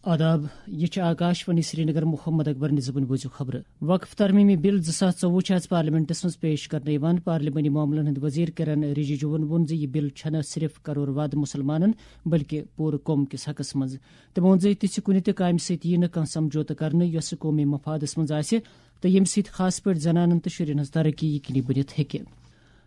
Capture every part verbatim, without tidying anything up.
آداب، یہ چھِ آکاش وانی سرینگر۔ محمد اکبر نِزبُن بوٗزِو خبرٕ۔ وقف ترمیمی بل زٕ ساس ژوٚوُہ چھِ آز پارلیمنٹس منٛز پیش کرنہٕ یِوان۔ پارلیمانی معاملن ہٕنٛدۍ وزیر کرن رجیجوَن ووٚن زِ یہِ بل چھَنہٕ صرف کرور واد مسلمانن بلکہ پوٗرٕ قوم کِس حقس منٛز۔ تٔمۍ ووٚن زِ تِژھِ کُنہِ تہِ کامہِ سۭتۍ یِیہِ نہٕ کانٛہہ سمجھوتہٕ کرنہٕ یۄسہٕ قومی مفادس منٛز آسہِ تہٕ ییٚمہِ سۭتۍ خاص پٲٹھۍ زنانن تہٕ شُرٮ۪ن ہٕنٛز ترقی یقینی بٔنِتھ ہیٚکہِ۔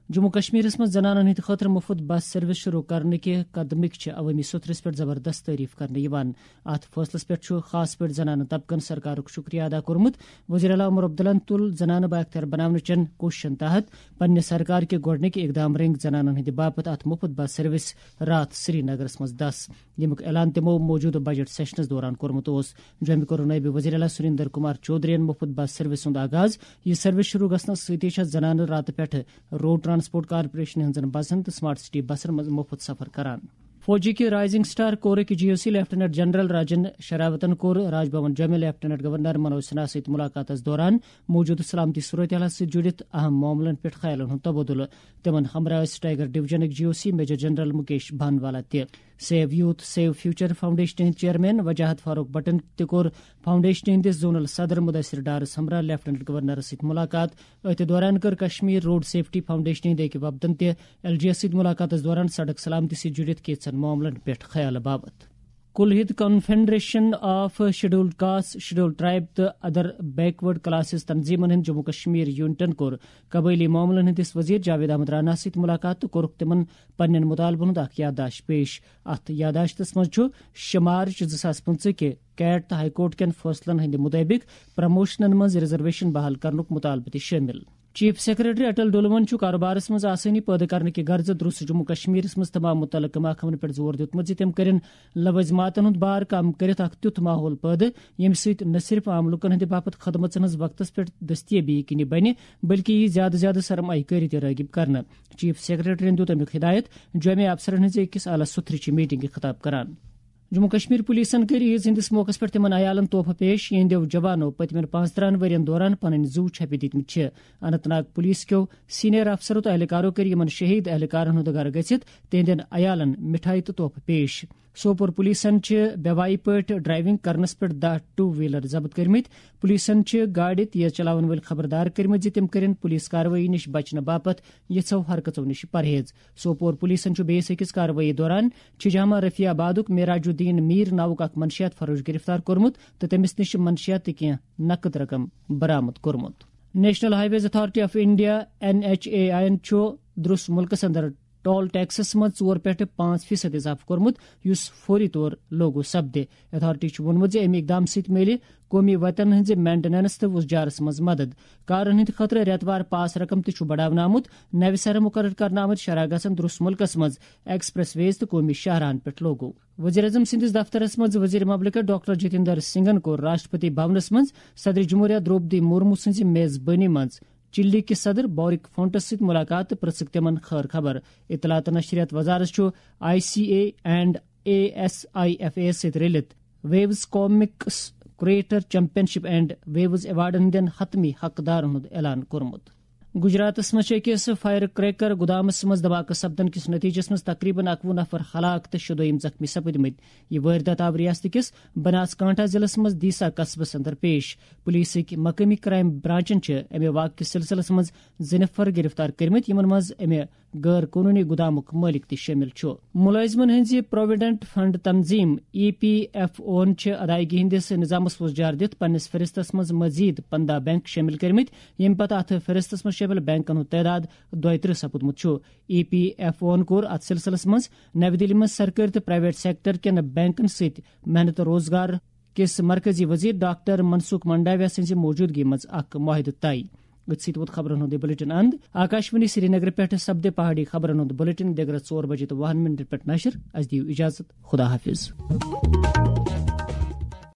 جموں کشمیرس منٛز زنانن ہٕنٛدِ خٲطرٕ مُفت بس سروس شروع کرنہٕ کہِ قدمٕکۍ چھِ عوٲمی سوٚتھرس پٮ۪ٹھ زبردست تعریف کرنہٕ یِوان۔ اتھ فٲصلس پٮ۪ٹھ چھُ خاص پٲٹھۍ زنانہٕ طبقن سرکارُک شُکریہ ادا کوٚرمُت۔ وزیر اعلیٰ عمر عبداللہن تُل زنانہٕ بااختیار بناونہٕ چٮ۪ن کوٗششن تحت پننہِ سرکار کہِ گۄڈٕنِکۍ اقدام رٔنگۍ زنانن ہٕنٛدِ باپتھ اتھ مُفت بس سروس راتھ سرینگرس منٛز دس، ییٚمیُک اعلان تِمو موجودٕ بجٹ سیشنس دوران کوٚرمُت اوس۔ جوٚمہِ کوٚر نٲیِب وزیر اعلیٰ سُریندر کمار چودھرین مُفت بس سروس ہُنٛد آغاز۔ یہِ سروس شروع گژھنس سۭتی چھےٚ زنانہٕ راتہٕ پٮ۪ٹھٕ روڈ ٹرانسپورٹ کارپوریشن ہٕنٛزن بسن تہٕ سمارٹ سٹی بسن منٛز مُفت سفر کران۔ فوجی کہِ رائزنگ سٹار کورٕکۍ جی او سی لیفٹیننٹ جنرل راجن شراوتن کوٚر راج بھون جوٚمہِ لیفٹیننٹ گورنر منوج سنہا سۭتۍ ملاقاتس دوران موجودٕ سلامتی صورتحالس سۭتۍ جُڑِتھ اہم معاملن پٮ۪ٹھ خیالن ہُنٛد تبادلہٕ۔ تِمن ہمراہ ٲسۍ ٹائیگر ڈویژنٕکۍ جی او سی میجر جنرل مکیش بھانوالا تہِ۔ Save youth save future foundation ہٕنٛدۍ چیئرمین وجاہت فاروق بٹن تہِ کوٚر فاؤنڈیشن ہٕنٛدِس زونل صدر مدثر ڈارس ہمراہ لیفٹیننٹ گورنرس سۭتۍ ملاقات۔ أتھۍ دوران کٔر کشمیر روڈ سیفٹی فاؤنڈیشن ہٕنٛدۍ أکۍ وفدن تہِ ایل جی یس سۭتۍ ملاقاتس دوران سڑک سلامتی سۭتۍ جُڑِتھ کینٛژن معاملن پٮ۪ٹھ خیال باپتھ۔ کُلہِد confederation of scheduled caste, scheduled tribe تہٕ ادر بیکورڈ کلاسز تنظیمن ہٕنٛدۍ جموں کشمیر یونٹن کوٚر قبٲئلی معاملن ہٕنٛدِس وزیر جاوید احمد رانا سۭتۍ ملاقات تہٕ کوٚرُکھ تِمن پننٮ۪ن مطالبن ہُنٛد اکھ یادداشت پیش۔ اتھ یادداشتس منٛز چھُ شےٚ مارچ زٕ ساس پٕنٛژٕہ کہِ کیٹ تہٕ ہائی کورٹ کٮ۪ن فٲصلن ہٕنٛدِ مُطٲبِق پروموشنن منٛز ریزرویشن بحال کرنُک مطالبہٕ تہِ شٲمِل۔ چیف سیکرٹری اٹل ڈولون چھُ کاروبارس منٛز آسٲنی پٲدٕ کرنہٕ کہِ غرضہٕ درست جموں کشمیرس منٛز تمام متعلقہٕ محکمن پٮ۪ٹھ زور دیُتمُت زِ تِم کٔرِن لوٲزماتن ہُنٛد بار کم کٔرِتھ اکھ تیُتھ ماحول پٲدٕ، ییٚمہِ سۭتۍ نہ صرف عام لوٗکن ہٕنٛدِ باپتھ خدمژن ہٕنٛز وقتس پٮ۪ٹھ دٔستیٲبی یقینی بنہِ، بلکہِ یِیہِ زیادٕ زیادٕ سرمایہ کٲری تہِ رٲغب کرنہٕ۔ چیف سیکرٹریَن دیُت اَمیُک ہدایت، جوٚمہِ افسرن ہٕنٛزِ أکِس اعلیٰ سطحٕچہِ میٹنگہِ خطاب کران۔ جموں کشمیر پولیسن کٔرۍ عیز ہٕنٛدِس موقعس پٮ۪ٹھ تِمن عیالن تحفہٕ پیش، یِہنٛدیو جوانو پٔتمٮ۪ن پانٛژترٛہن ؤرین دوران پنٕنۍ زُو چھپہِ دِتمٕتۍ چھِ۔ اننت ناگ پولیس کیو سینئر افسرو تہٕ اہلکارو کٔرۍ یِمن شہید اہلکارن ہُنٛد گرٕ گٔژھِتھ تِہنٛدٮ۪ن عیالن مٹھایہِ تہٕ تحفہٕ پیش۔ سوپور پولیسن چھِ بے وایہِ پٲٹھۍ ڈرائیونگ کرنس پٮ۪ٹھ دَہ ٹو ویلر ضبط کٔرمٕتۍ۔ پولیسن چھِ گاڑِ تیز چلاون وٲلۍ خبردار کٔرمٕتۍ زِ تِم کٔرِن پولیس کاروٲیی نِش بچنہٕ باپتھ یِژھو حرکژو نِش پرہیز۔ سوپور پولیسن چھُ بیٚیِس أکِس کاروٲیی دوران چھجامہ رفیع آبادُک معراج الدین میر ناوُک اکھ منشیات فروش گرفتار کوٚرمُت تہٕ تٔمِس نِش چھِ منشیات تہٕ کینٛہہ نقد رقم برآمد کوٚرمُت۔ National highways authority of India, N H A I یَن چھُ درس مُلکَس اندر ٹول ٹیکسس منٛز ژور پٮ۪ٹھ پانٛژھ فیصد اضافہٕ کوٚرمُت، یُس فوری طور لاگو سپدِ۔ اتھارٹی چھُ ووٚنمُت زِ اَمہِ اقدام سۭتۍ میلہِ قومی وتن ہٕنٛزِ مینٹیننس تہٕ وُزجارس منٛز مدد۔ کارن ہٕنٛدِ خٲطرٕ رٮ۪تہٕ وار پاس رقم تہِ چھُ بڑاونہٕ آمُت۔ نوِ سرٕ مُقرر کرنہٕ آمٕتۍ شرح گژھن درس مُلکَس منٛز ایکسپریس ویز تہٕ قومی شاہراہن پٮ۪ٹھ لاگو۔ وزیر اعظم سٕنٛدِس دفترس منٛز وزیر مملکت ڈاکٹر جتیندر سنگھن کوٚر راشٹرپتی بھونس منٛز صدر جمہوریہ درٛوپدی مرمو سٕنٛزِ میزبٲنی منٛز چلی کِس صدر بورک فونٹس سۭتۍ مُلاقات تہٕ پرژھٕکھ تِمن خٲر خبر۔ اطلاعات تہٕ نشریات وزارت چھُ I C A and A S I F A یَس سۭتۍ رٔلِتھ waves comics creator championship and waves ایوارڈن ہٕنٛدٮ۪ن حتمی حقدارن ہُنٛد اعلان کوٚرمُت۔ گجراتس منٛز چھِ أکِس فائر کریکر گُدامس منٛز دھماکہٕ سپدن کِس نتیجس منٛز تقریباً اَکوُہ نفر ہلاک تہٕ شُدویِم زخمی سپٕدمٕتۍ۔ یہِ وٲردات آو ریاست کِس بناس کانٹھا ضلعس منٛز دیسا قصبس اندر پیش۔ پولیسٕکۍ مقٲمی کرائم برانچن چھِ امہِ واقعہٕ کِس سلسلس منٛز زٕ نفر گرفتار کٔرمٕتۍ، یِمن منٛز امہِ غٲر قونوٗنی گُدامُک مٲلِک تہِ شٲمِل چھُ۔ مُلٲزِمن ہٕنٛزِ پروویڈنٹ فنڈ تنظیم ای پی ایف اوَن چھِ ادائیگی ہٕنٛدِس نظامس وُزجار دِتھ پننِس فہرستس منٛز مزید پندہ بینک شٲمِل کٔرمٕتۍ، ییٚمہِ پتہٕ اتھ فہرستس منٛز شٲمِل بینکن ہُنٛد تعداد دۄیہِ ترٕٛہ سپُدمُت چھُ۔ ای پی ایف اوَن کوٚر اتھ سلسلس منٛز نَوِ دِلہِ منٛز سرکٲرۍ تہٕ پرائیویٹ سیکٹر کٮ۪ن بینکن سۭتۍ محنت روزگار کِس مرکزی وزیر ڈاکٹر منسکھ منڈاویا سٕنٛزِ موجودگی منٛز اکھ معاہدٕ طے۔ أتھۍ سۭتۍ ووت خبرن ہُنٛد یہِ بلیٹن اند۔ آکاشوانی سرینگر پٮ۪ٹھ سپدِ پہاڑی خبرن ہُنٛد بلیٹن دِگرس ژور بجے تہٕ وُہن منٹن پٮ۪ٹھ نشر۔ اسہِ دِیِو اجازت۔ خدا حافظ۔